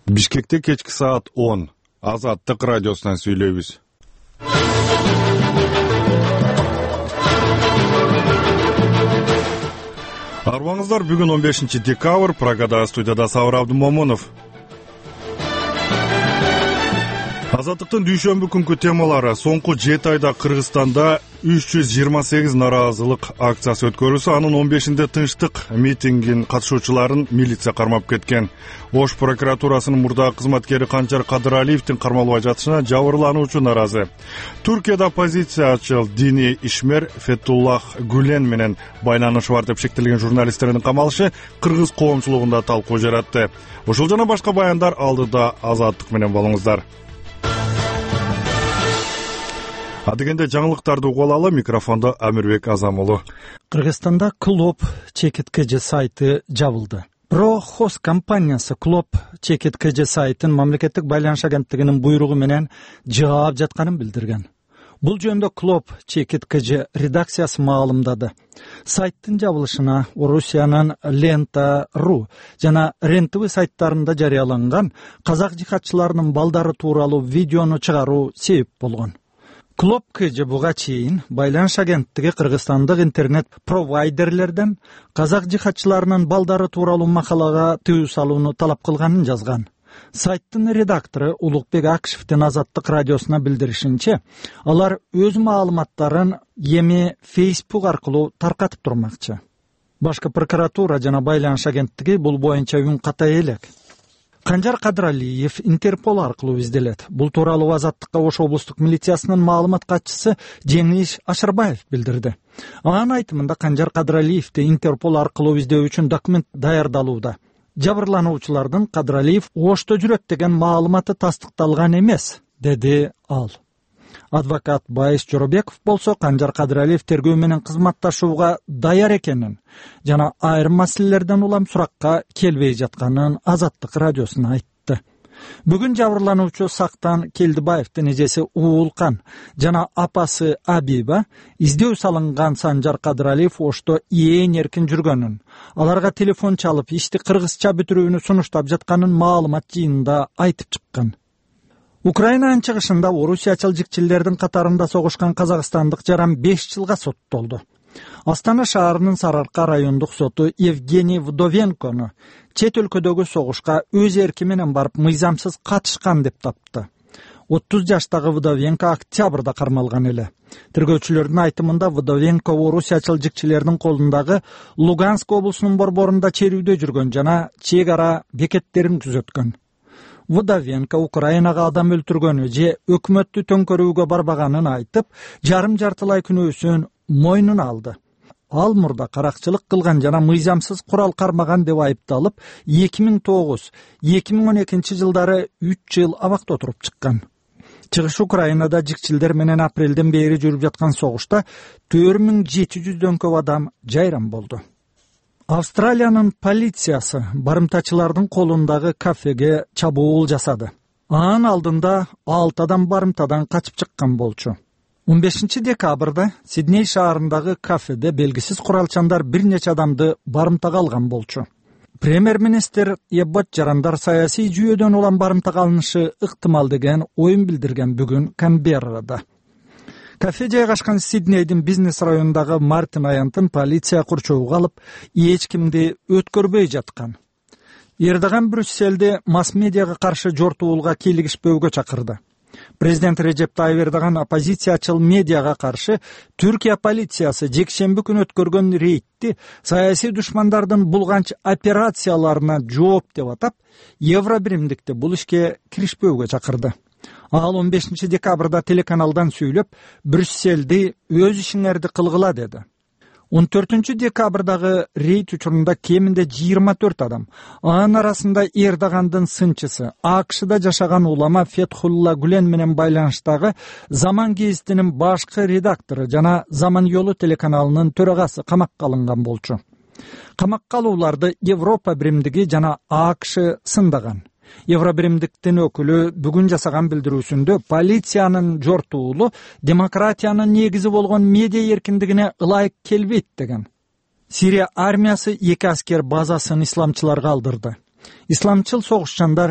Бишкекте кечки саат 10. Азаттык радиосунан сүйлөйбүз. Арбаңыздар, бүгүн 15 декабрь, Прагада студияда Сабыр Абдымомунов. Азаттыктын дүйшөмбү күнкү темалары: соңку 7 айда Кыргызстанда 328 нараазылык акциясы өткөрүлсө, анын 15-inde тынчтык митингин катышуучуларын милиция кармап кеткен. Ош прокуратурасынын мурдагы кызматкери Канчар Кадыралиевдин кармалбай жатышына жабырлануучу наразы. Туркияда оппозициячыл диний ишмер Фетуллах Гүлен менен байланышы бар деп шектелген журналисттердин камалышы кыргыз коомчулугунда талкуу жаратты. Ушул жана башка баяндар алдыда. Азаттык менен болуңуздар. Адегенде жаңылыктарды угуп алалы. Микрофондо Амирбек Азамулу. Кыргызстанда Клоп ЧКТКЖ сайты жабылды. Прохоз компаниясы Клоп ЧКТКЖ сайтын мамлекеттик байланыш агенттигинин буйругу менен жаап жатканын билдирген. Бул жөнүндө Клоп ЧКТКЖ редакциясы маалымдады. Сайттын жабылышына Орусиянын Лента.ру жана РЕН-ТВ сайттарында жарыяланган казак жихадчыларынын балдары тууралуу видеону чыгаруу себеп болгон. Клоп КЖ буга чейин байланыш агенттиги кыргызстандык интернет провайдерлерден казак жихадчыларынын балдары тууралуу макалага тыюу салууну талап кылганын жазган. Сайттын редактору Улукбек Акишевдин Азаттык радиосуна билдиришинче, алар өз маалыматтарын эми Facebook аркылуу таркатып турмакчы. Башкы прокуратура жана байланыш агенттиги бул боюнча үн катай элек. Канчар Кадыралиев Интерпол аркылуу изделет. Бул тууралуу Азаттыкка Ош облустук милициясынын маалымат катчысы Жеңиш Ашырбаев билдирди. Анын айтымында Канчар Кадыралиевди Интерпол аркылуу издөө үчүн документ даярдалууда. Жабырлануучулардын Кадыралиев Ошто жүрөт деген маалыматы тастыкталган эмес, деди ал. Адвокат Байыс Жоробеков болсо Канчар Кадыралиев тергөө менен кызматташууга даяр экенин жана айрым маселелерден улам суракка келбей жатканын Азаттык радиосуна айтты. Бүгүн жабырлануучу Сактан Келдибаевдин эжеси Уулкан жана апасы Абиба издөө салынган Канчар Кадыралиев Ошто ээн эркин жүргөнүн, аларга телефон чалып ишти кыргызча бүтүрүүнү сунуштап жатканын маалымат жыйынында айтып чыккан. Украинанын чыгышында орусиячыл жикчилердин катарында согушкан казакстандык жаран 5 жылга соттолду. Астана шаарынын Сарыарка райондук соту Евгений Вдовенкону чет өлкөдөгү согушка өз эрки менен барып мыйзамсыз катышкан деп тапты. 30 жаштагы Вдовенко октябрда кармалган эле. Тергөөчүлөрдүн айтымында Вдовенко орусиячыл жикчилердин колундагы Луганск облусунун борборунда черүүдө жүргөн жана чек ара бекеттерин күзөткөн. Вдовенко Украинага адам өлтүргөнү же өкмөттү төңкөрүүгө барбаганын айтып, жарым-жартылай күнөөсүн мойнуна алды. Ал мурда каракчылык кылган жана мыйзамсыз курал кармаган деп айыпталып, 2009-2012 жылдары 3 жыл абакта отуруп чыккан. Чыгыш Украинада жикчилдер менен апрелден бери жүрүп жаткан согушта 4700дөн көп адам жайран болду. Австралиянын полициясы барымтачылардын колундагы кафеге чабуул жасады. Анын алдында 6 адам барымтадан качып чыккан болчу. 15 декабрда Сидней шаарындагы кафеде белгисиз куралчандар бир нече адамды барымтага алган болчу. Премьер-министр Эббот жарандар саясий жүйөдөн улам барымтага алынышы ыктымал деген оюн билдирген бүгүн Канберрада. Кафе жайгашкан Сиднейдин бизнес районундагы Мартин аянтын полиция курчоого алып, эч кимди өткөрбөй жаткан. Эрдоган Брюсселде масс-медиага каршы жортуулга кийлигишпөөгө чакырды. Президент Режеп Тайып Эрдоган оппозициячыл медиага каршы Түркия полициясы жекшемби күнү өткөргөн рейдти саясий душмандардын булганч операцияларына жооп деп атап, евро биримдикти бул ишке киришпөөгө чакырды. Ал 15 декабрда телеканалдан сүйлөп, Брюсселди өз ишиңерди кылгыла деди. 14 декабрдагы рейд учурунда кеминде 24 адам, анын арасында Эрдогандын сынчысы, АКШда жашаган улама Фетхулла Гүлен менен байланыштагы Заман гезитинин башкы редактору жана Заман Yolu телеканалынын төрагасы камакка алынган болчу. Камакка алууларды Европа биримдиги жана АКШ сындаган. Евробиримдиктин өкүлү бүгүн жасаган билдирүүсүндө полициянын жортуулу демократиянын негизи болгон медиа эркиндигине ылайык келбейт деген. Сирия армиясы 2 аскер базасын исламчыларга алдырды. Исламчыл согушчандар